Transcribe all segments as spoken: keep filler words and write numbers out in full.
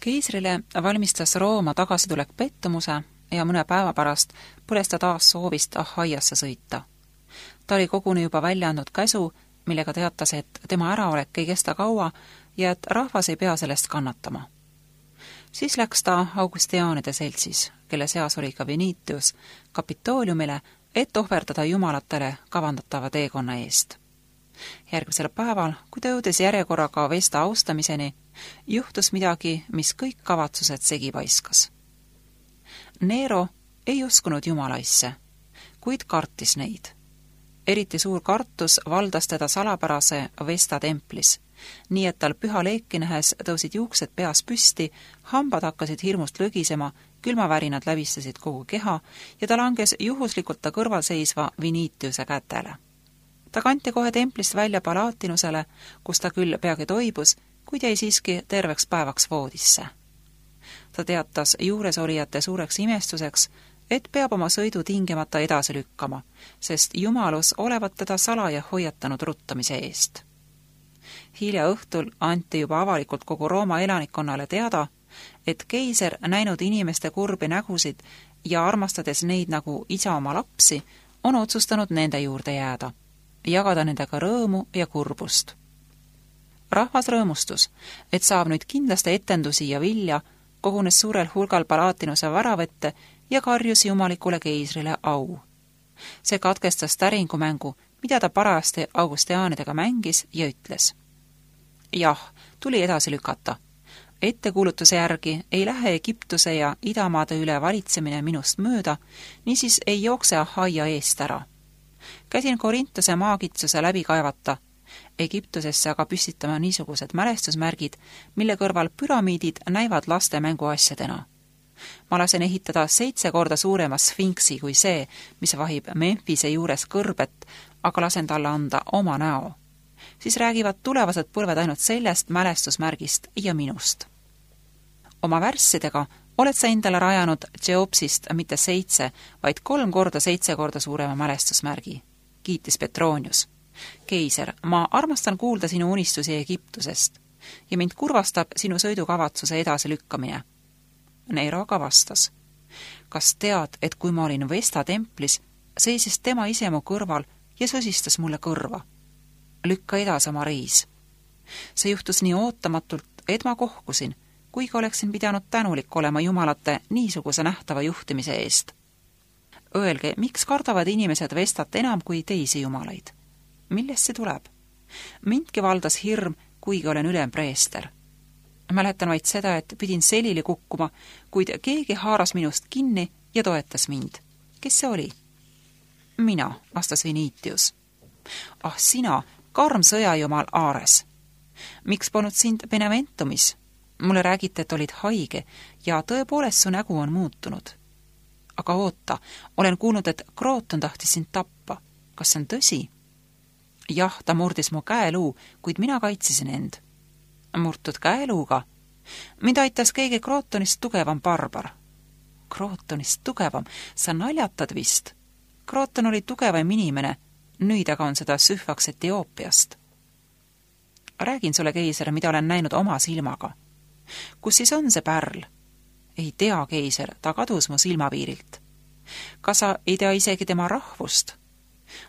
Keisrile valmistas Rooma tagasitulek pettumuse ja mõne päeva pärast põles ta taas soovist Ahaiasse sõita. Ta oli koguni juba välja andnud käsu, millega teatas, et tema äraolek ei kesta kaua ja et rahvas ei pea sellest kannatama. Siis läks ta Augustiaanide seltsis, kelle seas oli ka Venitius, Kapitooliumile, et ohverdada jumalatele kavandatava teekonna eest. Järgmisel päeval, kui ta jõudis järjekorraga Vesta austamiseni, juhtus midagi, mis kõik kavatsused segi paiskas. Nero ei uskunud jumalaisse, kuid kartis neid. Eriti suur kartus valdas teda salapärase Vesta templis, nii et tal püha leeki nähes tõusid juuksed peas püsti, hambad hakkasid hirmust lögisema, külmavärinad läbistasid kogu keha ja ta langes juhuslikult ta kõrval seisva Venitiuse kätele. Ta kanti kohe templist välja Palatinusele, kus ta küll peagi toibus, kuid jäi siiski terveks päevaks voodisse. Ta teatas juuresolijate suureks imestuseks, et peab oma sõidu tingimata edasi lükkama, sest jumalus olevat teda salaja hoiatanud ruttamise eest. Hilja õhtul anti juba avalikult kogu Rooma elanikkonnale teada, et keiser näinud inimeste kurbi nägusid ja armastades neid nagu isa oma lapsi, on otsustanud nende juurde jääda, jagada nendega rõõmu ja kurbust. Rahvas rõõmustus, et saab nüüd kindlasti etendusi ja vilja, kogunes suurel hulgal Palatinuse väravette ja karjus jumalikule keisrile au. See katkestas täringumängu, mida ta parajasti Augustiaanidega mängis ja ütles. Jah, tuli edasi lükata. Ettekuulutuse järgi ei lähe Egiptuse ja idamaade üle valitsemine minust mööda, niisiis ei jookse Ahaia eest ära. Käsin Korintuse maakitsuse läbi kaevata, Egiptusesse aga püstitama niisugused mälestusmärgid, mille kõrval püramiidid näivad laste mänguasjadena. Ma lasen ehitada seitse korda suurema sfinksi kui see, mis vahib Memphise juures kõrbet, aga lasen talle anda oma näo. Siis räägivad tulevased põlved ainult sellest mälestusmärgist ja minust. Oma värssidega oled sa endale rajanud Cheopsist mitte seitse, vaid kolm korda seitse korda suurema mälestusmärgi, kiitis Petronius. Keiser, ma armastan kuulda sinu unistusi Egiptusest ja mind kurvastab sinu sõidukavatsuse edasi lükkamine. Nero aga vastas. Kas tead, et kui ma olin Vesta templis, seisis tema ise mu kõrval ja sõsistas mulle kõrva? Lükka edasi oma reis. See juhtus nii ootamatult, et ma kohkusin, kuigi oleksin pidanud tänulik olema jumalate niisuguse nähtava juhtimise eest. Öelge, miks kardavad inimesed Vestat enam kui teisi jumalaid? Millest see tuleb? Mindki valdas hirm, kuigi olen ülempreester. Mäletan vaid seda, et pidin selili kukkuma, kuid keegi haaras minust kinni ja toetas mind. Kes see oli? Mina, vastas Venitius. Ah, sina, karm sõjajumal Aares. Miks polnud sind Beneventumis? Mulle räägite, et olid haige ja tõepoolest su nägu on muutunud. Aga oota, olen kuulnud, et Krooton tahtis sind tappa. Kas see on tõsi? Jah, ta murdis mu käeluu, kuid mina kaitsesin end. Murtud käeluuga? Mind aitas keegi Krootonist tugevam barbar. Krootonist tugevam? Sa naljatad vist? Krooton oli tugevam inimene, nüüd aga on seda sühvaks Etioopiast. Räägin sulle, keiser, mida olen näinud oma silmaga. Kus siis on see pärl? Ei tea, keiser, ta kadus mu silmapiirilt. Kas sa ei tea isegi tema rahvust?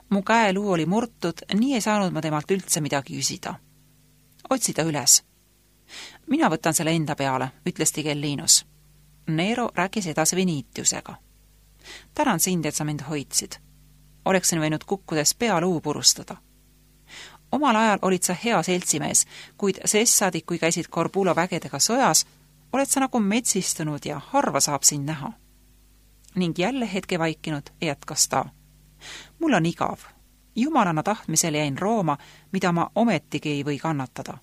Mu käeluu oli murtud, nii ei saanud ma temalt üldse midagi küsida. Otsi ta üles. Mina võtan selle enda peale, ütles Tigellinus. Nero rääkis edasi Venitiusega. Tänan sind, et sa mind hoidsid. Oleksin võinud kukkudes pealuu purustada. Omal ajal olid sa hea seltsimees, kuid sessadik, kui käisid Corbulo vägedega sojas, oled sa nagu metsistunud ja harva saab sind näha. Ning jälle hetke vaikinud jätkas ta. Mul on igav. Jumalana tahtmisel jäin Rooma, mida ma ometigi ei või kannatada.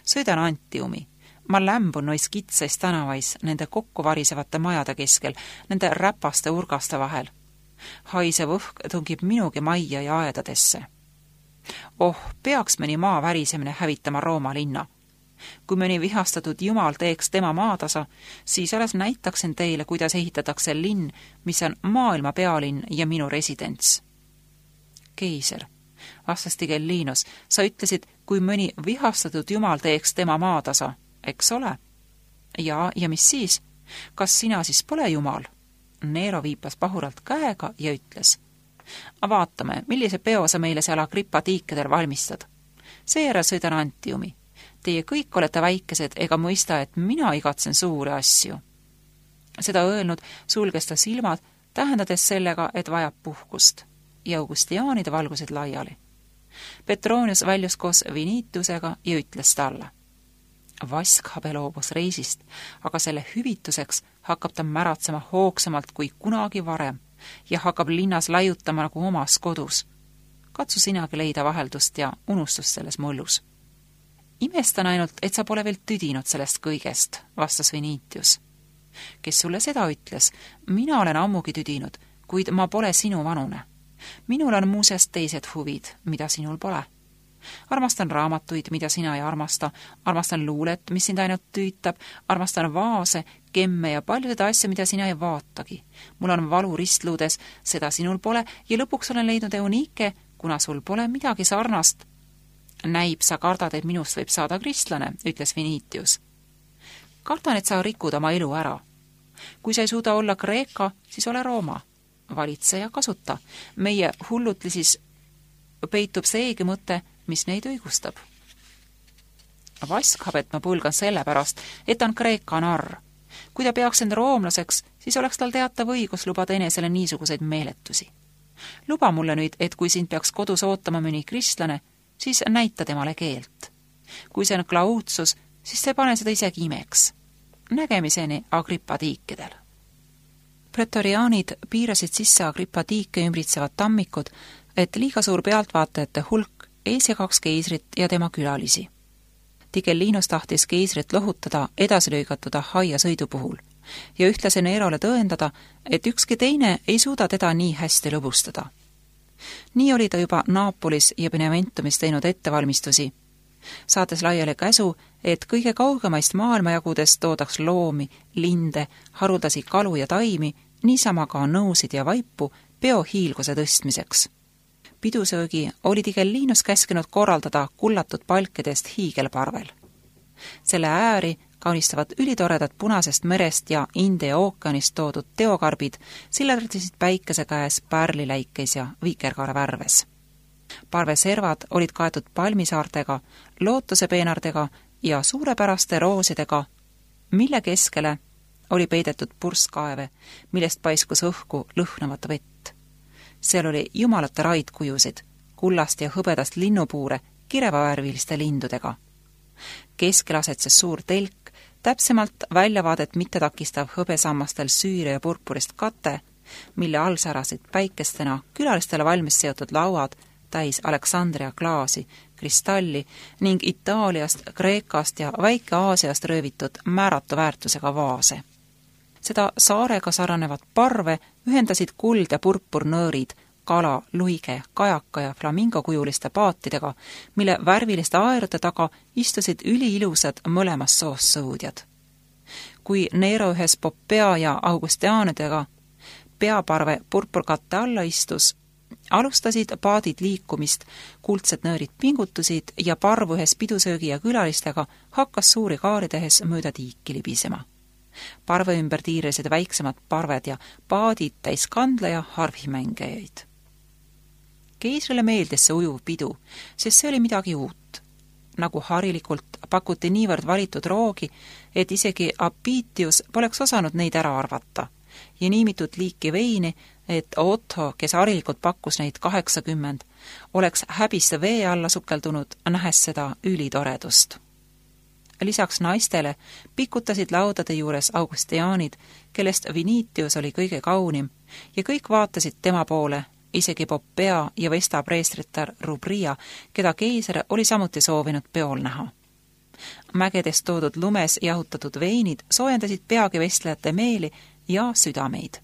Sõidan Antiumi. Ma lämbun nois kitsais tänavais nende kokku varisevate majade keskel, nende räpaste urgaste vahel. Haisev õhk tungib minugi majja ja aedadesse. Oh, peaks mõni maa värisemine hävitama Rooma linna. Kui mõni vihastatud jumal teeks tema maatasa, siis alles näitaksin teile, kuidas ehitatakse linn, mis on maailma pealinn ja minu residents. Keiser, vastas Tigellinus, sa ütlesid, kui mõni vihastatud jumal teeks tema maatasa, eks ole? Ja, ja mis siis? Kas sina siis pole jumal? Nero viipas pahuralt käega ja ütles: vaatame, millise peo sa meile seal Agrippa tiikedel valmistad. Seejärel sõidan Antiumi. Teie kõik olete väikesed ega mõista, et mina igatsen suuri asju. Seda öelnud sulges ta silmad, tähendades sellega, et vajab puhkust, ja Augustiaanid valgusid laiali. Petronius väljus koos Vinitusega ja ütles talle: Vaskhabe loobus reisist, aga selle hüvituseks hakkab ta märatsema hoogsamalt kui kunagi varem ja hakkab linnas laiutama nagu omas kodus. Katsu sinagi leida vaheldust ja unustust selles mullus. Imestan ainult, et sa pole veel tüdinud sellest kõigest, vastas Vinitius. Kes sulle seda ütles? Mina olen ammugi tüdinud, kuid ma pole sinu vanune. Minul on muuseas teised huvid, mida sinul pole. Armastan raamatuid, mida sina ei armasta, armastan luulet, mis sind ainult tüütab, armastan vaase, kemme ja paljusid asju, mida sina ei vaatagi. Mul on valu ristluudes, seda sinul pole, ja lõpuks olen leidnud Eunike, kuna sul pole midagi sarnast. Näib, sa kardad, et minust võib saada kristlane, ütles Vinitius. Kardan, et sa rikud oma elu ära. Kui sa ei suuda olla Kreeka, siis ole Rooma. Valitse ja kasuta. Meie hullutlisis peitub seegi mõte, mis neid õigustab. Vaskhabet ma pulgan selle pärast, et ta on Kreeka narr. Kui ta peaks end roomlaseks, siis oleks tal teatav õigus lubada enesele niisuguseid meeletusi. Luba mulle nüüd, et kui sind peaks kodus ootama mõni kristlane, siis näita temale keelt. Kui see on klautsus, siis see pane seda isegi imeks. Nägemiseni Agrippa tiikedel. Pretoriaanid piirasid sisse Agrippa tiike ümbritsevad tammikud, et liiga suur pealtvaatajate hulk ees ja kaks keisrit ja tema külalisi. Tigellinus tahtis keisrit lohutada edasi lõigatud Ahaia sõidu puhul ja ühtlasi Nerole tõendada, et ükski teine ei suuda teda nii hästi lõbustada. Nii oli ta juba Naapolis ja Beneventumis teinud ettevalmistusi, saates laiali käsu, et kõige kaugemaist maailmajagudest toodaks loomi, linde, haruldasi kalu ja taimi, niisama ka nõusid ja vaipu peo hiilguse tõstmiseks. Pidusöögi oli Tigellinus käskinud korraldada kullatud palkidest hiigelparvel. Selle ääri kaunistavad ülitoredad Punasest merest ja India ookeanist toodud teokarbid sillerdasid päikese käes pärliläikeis ja viikerkaare värves. Parveservad olid kaetud palmisaartega, lootusepeenardega ja suurepäraste roosidega, mille keskele oli peidetud purskkaeve, millest paiskus õhku lõhnavat vett. Seal oli jumalate raidkujusid, kullast ja hõbedast linnupuure kirevavärviliste lindudega. Keskel asetses suur telk, täpsemalt väljavaadet mitte takistav hõbesammastel süüre ja purpurist kate, mille all särasid päikestena külalistele valmis seotud lauad täis Aleksandria klaasi, kristalli ning Itaaliast, Kreekast ja Väike-Aasiast röövitud määratu väärtusega vaase. Seda saarega sarnanevat parve ühendasid kuld ja purpurnöörid, kala, luige, kajaka ja flamingokujuliste paatidega, mille värviliste aerude taga istusid üliilusad mõlemas soos sõudjad. Kui Nero ühes Popea ja Augustiaanidega peaparve purpurkatte alla istus, alustasid paadid liikumist, kuldsed nöörid pingutusid ja parv ühes pidusöögi ja külalistega hakkas suuri kaari tehes mööda tiiki libisema. Parve ümber tiirisid väiksemad parved ja paadid täis kandla ja harvimängijaid. Keisrile meeldis see ujuv pidu, sest see oli midagi uut. Nagu harilikult pakuti niivõrd valitud roogi, et isegi Apitius poleks osanud neid ära arvata ja niimitud liiki veini, et Otto, kes harilikult pakkus neid kaheksakümmend, oleks häbisse vee alla sukeldunud, nähes seda ülitoredust. Lisaks naistele pikutasid laudade juures Augustiaanid, kellest Vinitius oli kõige kaunim, ja kõik vaatasid tema poole, isegi Popea ja Vesta preestritar Rubria, keda keiser oli samuti soovinud peol näha. Mägedest toodud lumes jahutatud veinid soojendasid peagi vestlejate meeli ja südameid.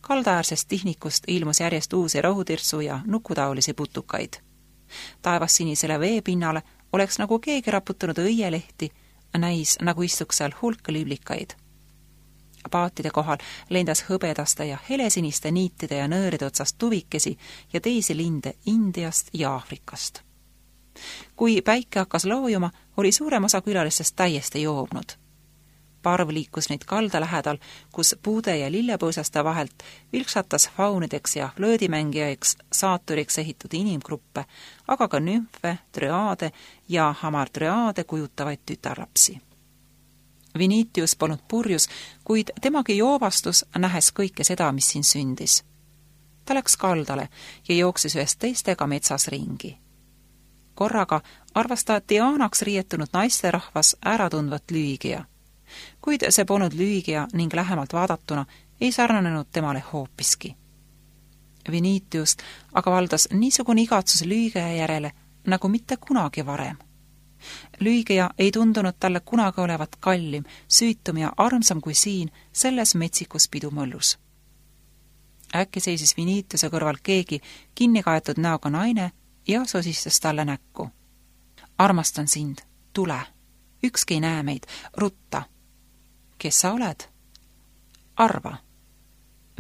Kaldaäärsest tihnikust ilmus järjest uusi rohutirsu ja nukutaolisi putukaid. Taevas sinisele veepinnale oleks nagu keegi raputanud õielehti, näis nagu istuks seal hulk liblikaid. Paatide kohal lendas hõbedaste ja helesiniste niitide ja nööride otsast tuvikesi ja teisi linde Indiast ja Aafrikast. Kui päike hakkas loojuma, oli suurem osa külalistest täiesti joobnud. Parv liikus neid kalda lähedal, kus puude ja lillepõõsaste vahelt vilksatas faunideks ja flöödimängijaeks saaturiks ehitud inimgruppe, aga ka nümfe, trüaade ja hamartrüaade kujutavaid tütarlapsi. Vinitius polnud purjus, kuid temagi joobastus, nähes kõike seda, mis siin sündis. Ta läks kaldale ja jooksis ühest teistega metsas ringi. Korraga arvas ta Dianaks riietunud naisterahvas äratundvat Lüügia. Kuid see polnud Lüügia ning lähemalt vaadatuna ei sarnanenud temale hoopiski. Vinitiust aga valdas niisugune igatsus Lüügia järele nagu mitte kunagi varem. Lüügia ei tundunud talle kunagi olevat kallim, süütum ja armsam kui siin selles metsikus pidumõllus. Äkki seisis Vinitiuse kõrval keegi kinnikaetud näoga naine ja sosistas talle näkku. Armastan sind, tule, ükski ei näe meid, rutta. Kes sa oled? Arva.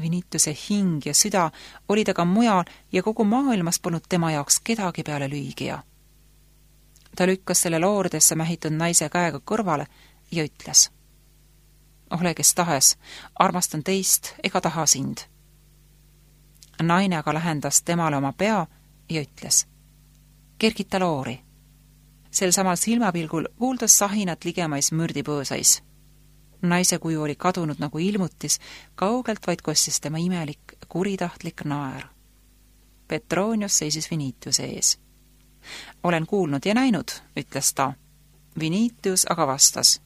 Vinitiuse hing ja süda oli taga mujal ja kogu maailmas polnud tema jaoks kedagi peale Lüügia. Ta lükkas selle looridesse mähitud naise käega kõrvale ja ütles: ole kes tahes, armastan teist ega taha sind. Naine aga lähendas temale oma pea ja ütles: kergita loori. Sel samal silmapilgul kuuldas sahinat ligemais mürdipõõsais. Naise kuju oli kadunud nagu ilmutis, kaugelt vaid kostis tema imelik, kuritahtlik naer. Petronius seisis Vinitiuse ees. Olen kuulnud ja näinud, ütles ta. Vinitius aga vastas: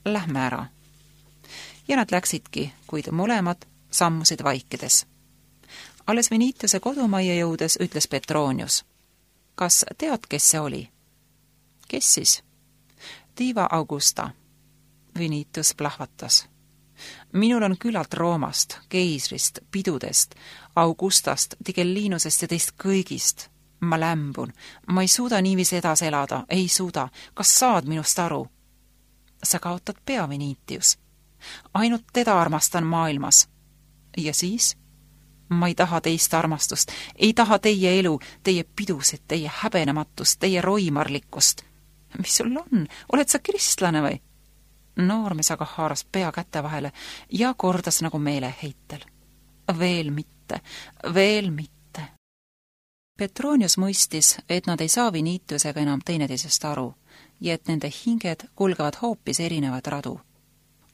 lähme ära. Ja nad läksidki, kuid mõlemad sammusid vaikides. Alles Vinitiuse kodumajja jõudes ütles Petronius: kas tead, kes see oli? Kes siis? Diva Augusta. Vinitius plahvatas. Minul on küllalt Roomast, keisrist, pidudest, Augustast, Tigellinusest ja teist kõigist. Ma lämbun, ma ei suuda niiviisi edasi elada, ei suuda. Kas saad minust aru? Sa kaotad pea, Vinitius. Ainult teda armastan maailmas. Ja siis? Ma ei taha teist armastust, ei taha teie elu, teie pidusid, teie häbenematust, teie roimarlikkust. Mis sul on? Oled sa kristlane või? Noormees aga haaras pea käte vahele ja kordas nagu meeleheitel. Veel mitte, veel mitte. Petronius mõistis, et nad ei saa Vinitiusega enam teineteisest aru ja et nende hinged kulgevad hoopis erinevad radu.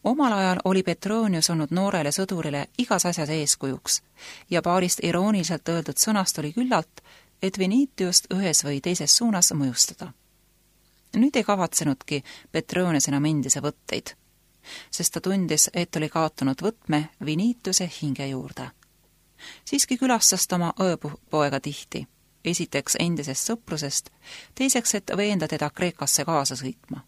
Omal ajal oli Petronius olnud noorele sõdurile igas asjas eeskujuks ja paarist irooniliselt öeldud sõnast oli küllalt, et Vinitiust ühes või teises suunas mõjustada. Nüüd ei kavatsenudki Petronius enam endise võtteid, sest ta tundis, et oli kaotanud võtme Vinitiuse hinge juurde. Siiski külastas ta oma õepoega tihti, esiteks endisest sõprusest, teiseks, et veenda teda Kreekasse kaasa sõitma.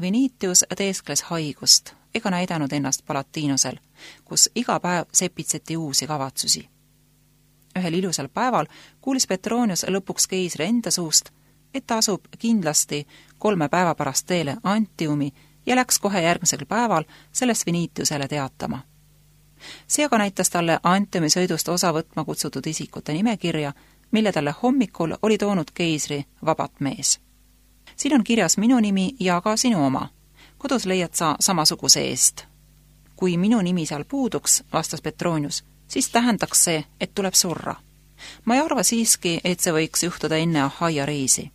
Vinitius teeskles haigust ega näidanud ennast Palatiinusel, kus iga päev sepitseti uusi kavatsusi. Ühel ilusal päeval kuulis Petronius lõpuks keisri enda suust, et ta asub kindlasti kolme päeva pärast teele Antiumi ja läks kohe järgmisel päeval sellest Vinitiusele teatama. See aga näitas talle Antiumi sõidust osa võtma kutsutud isikute nimekirja, mille talle hommikul oli toonud keisri vabat mees. Siin on kirjas minu nimi ja ka sinu oma. Kodus leiad sa samasuguse eest. Kui minu nimi seal puuduks, vastas Petronius, siis tähendaks see, et tuleb surra. Ma ei arva siiski, et see võiks juhtuda enne Ahaia reisi.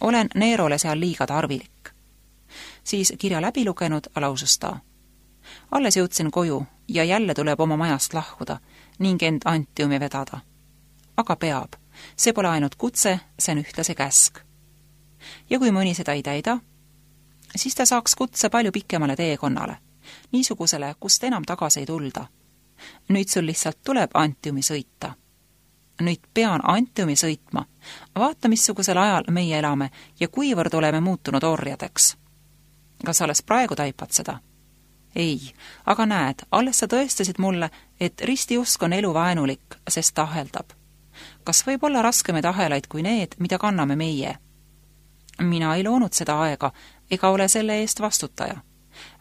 Olen Nerole seal liiga tarvilik. Siis kirja läbi lugenud lausus ta. Alles jõudsin koju ja jälle tuleb oma majast lahkuda ning end Antiumi vedada. Aga peab. See pole ainult kutse, see on ühtlase käsk. Ja kui mõni seda ei täida, siis ta saaks kutse palju pikemale teekonnale, niisugusele, kust enam tagasi ei tulda. Nüüd sul lihtsalt tuleb Antiumi sõita. Nüüd pean Antiumi sõitma. Vaata, missugusel ajal meie elame ja kuivõrd oleme muutunud orjadeks. Kas alles praegu taipad seda? Ei, aga näed, alles sa tõestasid mulle, et ristiusk on elu vaenulik, sest ta aheldab. Kas võib olla raskemaid ahelaid kui need, mida kanname meie? Mina ei loonud seda aega ega ole selle eest vastutaja.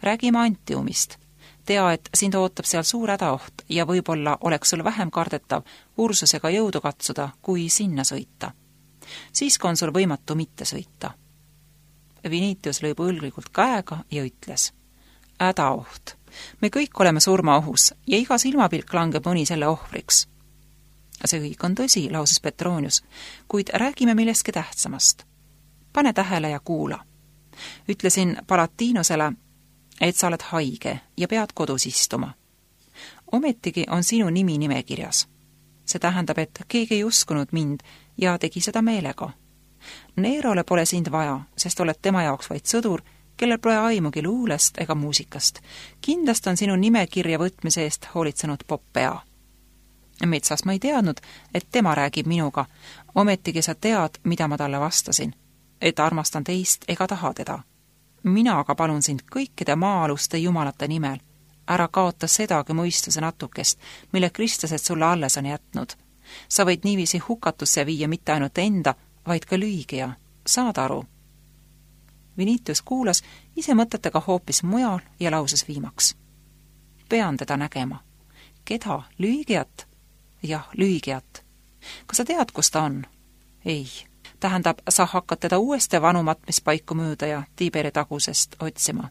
Räägime Antiumist. Tea, et sind ootab seal suur hädaoht ja võib-olla oleks sul vähem kardetav Ursusega jõudu katsuda, kui sinna sõita. Siiski on sul võimatu mitte sõita. Vinitius lõi põlglikult käega ja ütles: hädaoht. Me kõik oleme surmaohus ja iga silmapilk langeb mõni selle ohvriks. See kõik on tõsi, lausus Petronius, kuid räägime millestki tähtsamast. Pane tähele ja kuula. Ütlesin Palatinosele, et sa oled haige ja pead kodus istuma. Ometigi on sinu nimi nimekirjas. See tähendab, et keegi ei uskunud mind ja tegi seda meelega. Neerole pole sind vaja, sest oled tema jaoks vaid sõdur, kellel pole aimugi luulest ega muusikast. Kindlasti on sinu nimekirja võtmise eest hoolitsenud Popea. Metsas ma ei teadnud, et tema räägib minuga. Ometigi sa tead, mida ma talle vastasin. Et armastan teist ega taha teda. Mina aga palun sind kõikide maa-aluste jumalate nimel. Ära kaota sedagi mõistuse natukest, mille kristlased sulle alles on jätnud. Sa võid niiviisi hukatusse viia mitte ainult enda, vaid ka lüügija. Saad aru? Vinitius kuulas ise mõtetega hoopis mujal ja lauses viimaks. Pean teda nägema. Keda? Lüügijat? Jah, lüügijat. Kas sa tead, kus ta on? Ei. Tähendab, sa hakkad teda uuesti vanumat, mis paiku mööda ja Tiiberi tagusest otsima.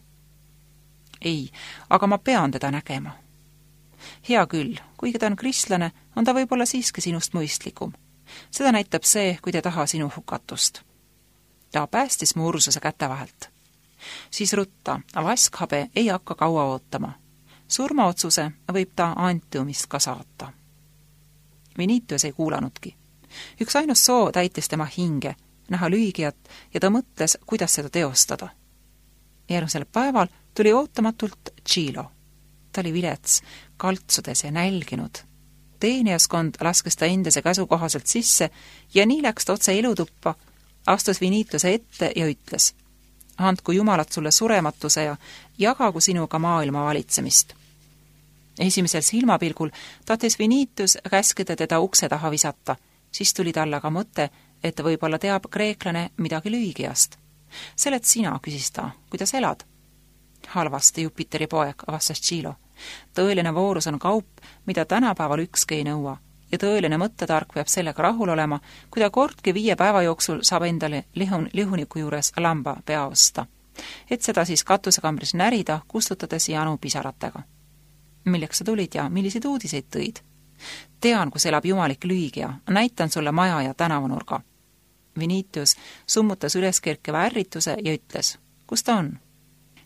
Ei, aga ma pean teda nägema. Hea küll, kuigi ta on kristlane, on ta võib-olla siiski sinust mõistlikum. Seda näitab see, kui te taha sinu hukatust. Ta päästis mu Ursuse käte vahelt. Siis rutta, vaskhabe ei hakka kaua ootama. Surmaotsuse võib ta Antiumist ka saata. Vinitius ei kuulanudki. Üks ainus soo täitis tema hinge, näha lüügijat ja ta mõtles, kuidas seda teostada. Järgmisel päeval tuli ootamatult Tšilo. Ta oli vilets, kaltsudes ja nälginud. Teeniaskond laskes ta endise käsu kohaselt sisse ja nii läks ta otse elutuppa, astus Vinitiuse ette ja ütles: andku jumalat sulle surematuse ja jagagu sinuga maailma valitsemist. Esimesel silmapilgul tahtis Vinitius käskida teda ukse taha visata, siis tuli talle aga mõte, et võib-olla teab kreeklane midagi lüügijast. Seled sina, küsis ta, kuidas elad? Halvasti, Jupiteri poeg, vastas Tšilo. Tõeline voorus on kaup, mida tänapäeval ükski ei nõua ja tõeline mõttetark peab sellega rahul olema, kui ta kordki viie päeva jooksul saab endale lihun, lihuniku juures lamba pea osta, et seda siis katusekambris närida, kustutades janu pisaratega. Milleks sa tulid ja milliseid uudiseid tõid? Tean, kus elab jumalik lüügija, näitan sulle maja ja tänavanurga. Vinitius summutas üleskerkeva ärrituse ja ütles: kus ta on?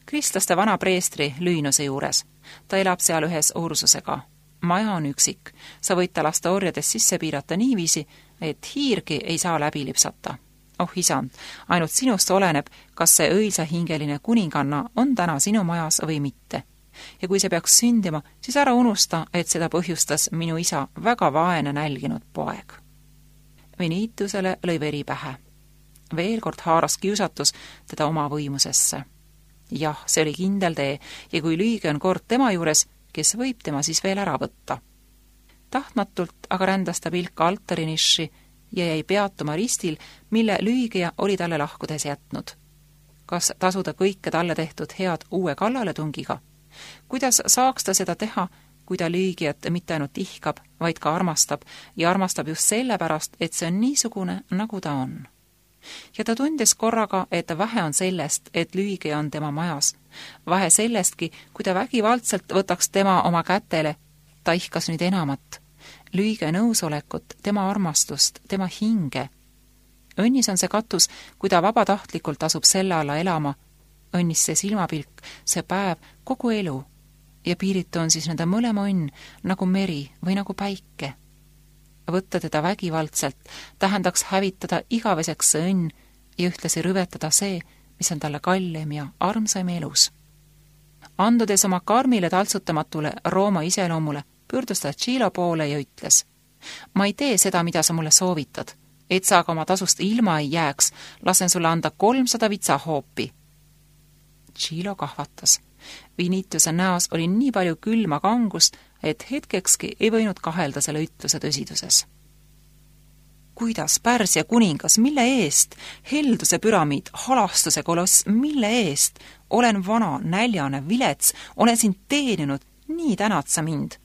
Kristlaste vana preestri Lüünuse juures. Ta elab seal ühes Ursusega. Maja on üksik. Sa võid ta lasta orjades sisse piirata niiviisi, et hiirgi ei saa läbi lipsata. Oh isand, ainult sinust oleneb, kas see õilsahingeline kuninganna on täna sinu majas või mitte. Ja kui see peaks sündima, siis ära unusta, et seda põhjustas minu isa väga vaene nälginud poeg. Vinitiusele lõi veri pähe. Veel kord haaras kiusatus teda oma võimusesse. Jah, see oli kindel tee ja kui lüüge on kord tema juures, kes võib tema siis veel ära võtta. Tahtmatult aga rändas ta pilk altariniši ja jäi peatuma ristil, mille lüügija oli talle lahkudes jätnud. Kas tasuda kõike talle tehtud head uue kallaletungiga? Kuidas saaks ta seda teha, kui ta lüügijat mitte ainult ihkab, vaid ka armastab ja armastab just sellepärast, et see on niisugune, nagu ta on. Ja ta tundis korraga, et vähe on sellest, et lüügija on tema majas. Vähe sellestki, kui ta vägivaldselt võtaks tema oma kätele, ta ihkas nüüd enamat. Lüüge nõusolekut, tema armastust, tema hinge. Õnnis on see katus, kui ta vabatahtlikult asub selle alla elama. Õnnis see silmapilk, see päev, kogu elu. Ja piiritu on siis nende mõlema õnn, nagu meri või nagu päike. Võtta teda vägivaldselt tähendaks hävitada igaveseks see õnn ja ühtlasi rüvetada see, mis on talle kallim ja armsaim elus. Andudes oma karmile taltsutamatule Rooma iseloomule, pöördus ta Tšilo poole ja ütles: ma ei tee seda, mida sa mulle soovitad, et sa aga oma tasust ilma ei jääks, lasen sulle anda kolmsada vitsahoopi. Tšilo kahvatas. Vinitiuse näos oli nii palju külma kangust, et hetkekski ei võinud kahelda selle ütluse tõsiduses. Kuidas, Pärsia kuningas, mille eest? Helduse püramiid, halastuse koloss, mille eest? Olen vana, näljane, vilets, olen sind teeninud, nii tänad sa mind.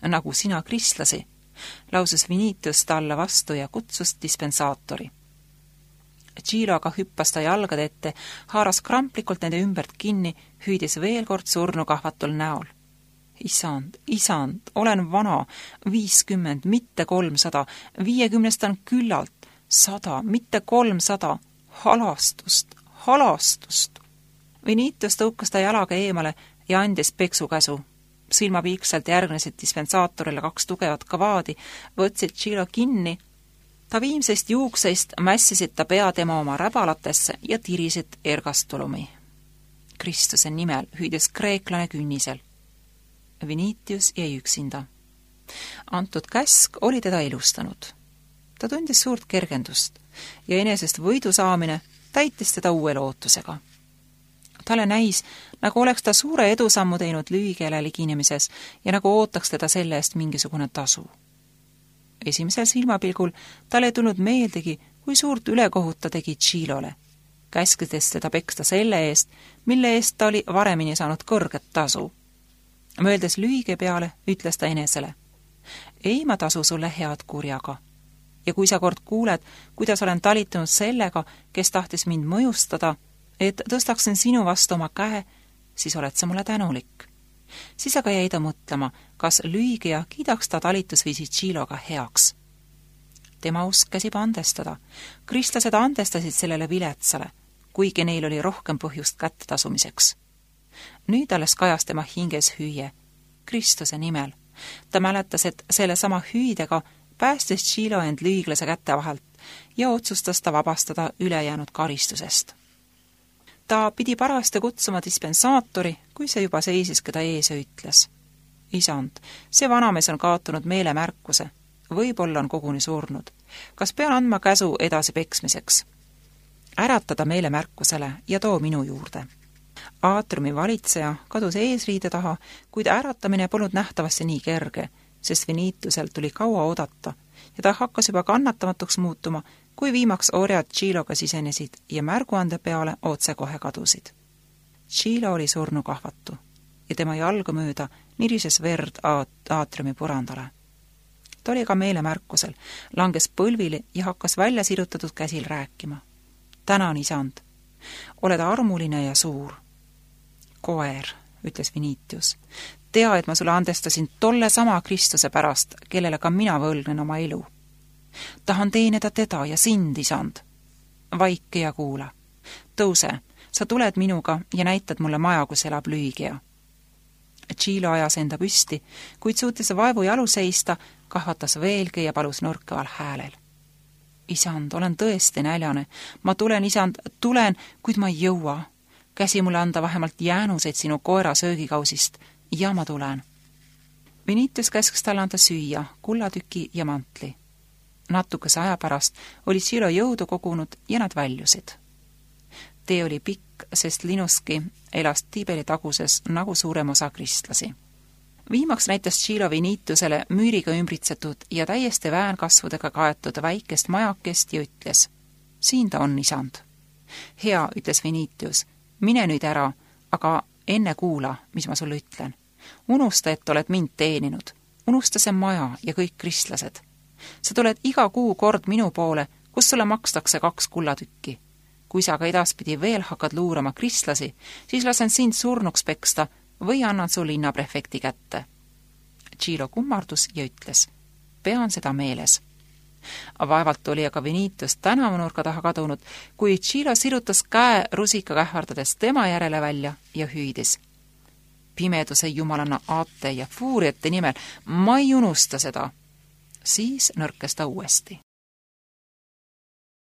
Nagu sina kristlasi, lausus Vinitius talle vastu ja kutsus dispensaatori. Tšilo aga hüppas ta jalgade ette, haaras kramplikult nende ümbert kinni, hüüdis veel kord surnukahvatul näol. Isand, isand, olen vana, viiskümmend, mitte kolmsada, viiekümnest on küllalt, sada, mitte kolmsada, halastust, halastust. Vinitius tõukas ta jalaga eemale ja andis peksukäsu. Silmapiiksalt järgnesid dispensaatorile kaks tugevat kavaadi, võtsid Tšilo kinni. Ta viimsest juukseist mässisid ta pea tema oma räbalatesse ja tirisid ergastulumi. Kristuse nimel hüüdis kreeklane künnisel. Vinitius jäi üksinda. Antud käsk oli teda elustanud. Ta tundis suurt kergendust ja enesest võidu saamine täitis teda uue lootusega. Talle näis, nagu oleks ta suure edusammu teinud lühikeele liginemises ja nagu ootaks teda selle eest mingisugune tasu. Esimesel silmapilgul talle ei tulnud meeldegi, kui suurt ülekohut ta tegi Tšilole, käskides teda peksta selle eest, mille eest ta oli varemini saanud kõrget tasu. Mõeldes lühige peale, ütles ta enesele, ei ma tasu sulle head kurjaga. Ja kui sa kord kuuled, kuidas olen talitunud sellega, kes tahtis mind mõjustada, et tõstaksin sinu vastu oma käe, siis oled sa mulle tänulik. Siis aga jäi ta mõtlema, kas lüügija kiidaks ta talitusviisi Tšiloga heaks. Tema usk käsib andestada. Kristlased andestasid sellele viletsale, kuigi neil oli rohkem põhjust kätte tasumiseks. Nüüd alles kajas tema hinges hüüe, Kristuse nimel. Ta mäletas, et selle sama hüüdega päästis Tšilo end lüüglase kätte vahelt ja otsustas ta vabastada ülejäänud karistusest. Ta pidi parasti kutsuma dispensaatori, kui see juba seisis, keda ees ja ütles. Isand, see vanamees on kaotunud meelemärkuse. Võib-olla on koguni surnud. Kas pean andma käsu edasi peksmiseks? Äratada meelemärkusele ja too minu juurde. Aatriumi valitseja kadus eesriide taha, kuid äratamine polnud nähtavasti nii kerge, sest Vinitiusel tuli kaua oodata ja ta hakkas juba kannatamatuks muutuma, kui viimaks orjad Tšiloga sisenesid ja märguande peale otse kohe kadusid. Tšilo oli surnukahvatu ja tema jalga mööda nirises verd aatriumi purandale. Ta oli ka meelemärkusel, langes põlvili ja hakkas välja sirutatud käsil rääkima. Tänan, isand. Oled armuline ja suur. Koer, ütles Vinitius. Tea, et ma sulle andestasin tolle sama Kristuse pärast, kellele ka mina võlgnen oma elu. Tahan teenida teda ja sind, isand. Vaike ja kuula. Tõuse, sa tuled minuga ja näitad mulle maja, kus elab lüügija. Tšilo ajas enda püsti, kuid suutis vaevu jalu seista, kahvatas veelgi ja palus nõrkaval häälel. Isand, olen tõesti näljane. Ma tulen, isand, tulen, kuid ma ei jõua. Käsi mulle anda vähemalt jäänuseid sinu koera söögikausist ja ma tulen. Vinitius käsks talle anda süüa, kullatüki ja mantli. Natukese aja pärast oli Tšilo jõudu kogunud ja nad väljusid. Tee oli pikk, sest Linuski elas Tiiberi taguses nagu suurem osa kristlasi. Viimaks näitas Tšilo Vinitiusele müüriga ümbritsetud ja täiesti väänkasvudega kaetud väikest majakest ja ütles, siin ta on, isand. Hea, ütles Vinitius, mine nüüd ära, aga enne kuula, mis ma sulle ütlen. Unusta, et oled mind teeninud. Unusta see maja ja kõik kristlased. Sa tuled iga kuu kord minu poole, kus sulle makstakse kaks kullatükki. Kui sa aga edaspidi veel hakkad luurama kristlasi, siis lasen sind surnuks peksta või annan su linnaprefekti kätte. Tšilo kummardus ja ütles, pean seda meeles. Vaevalt oli aga Vinitius tänavanurka taha kadunud, kui Tšilo sirutas käe rusika kähvardades tema järele välja ja hüüdis. Pimeduse jumalanna aate ja fuuriate nimel, ma ei unusta seda. Siis nõrkes ta uuesti.